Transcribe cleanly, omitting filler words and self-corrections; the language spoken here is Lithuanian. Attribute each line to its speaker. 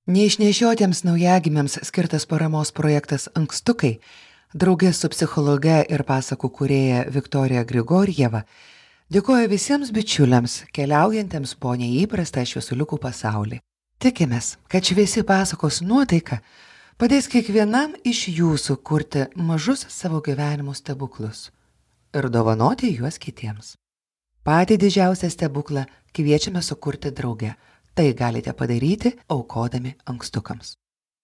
Speaker 1: Neišnešiotiems naujagimiams skirtas paramos projektas Ankstukai, draugė su psichologe ir pasakų kūrėja Viktorija Grigorjeva, dėkoja visiems bičiuliams, keliaujantiems po neįprastą šviesuliukų pasaulį. Tikimės, kad šviesi pasakos nuotaika padės kiekvienam iš jūsų kurti mažus savo gyvenimo stebuklus ir dovanoti juos kitiems. Patį didžiausią stebuklą kviečiame sukurti drauge. Tai galite padaryti aukodami ankstukams.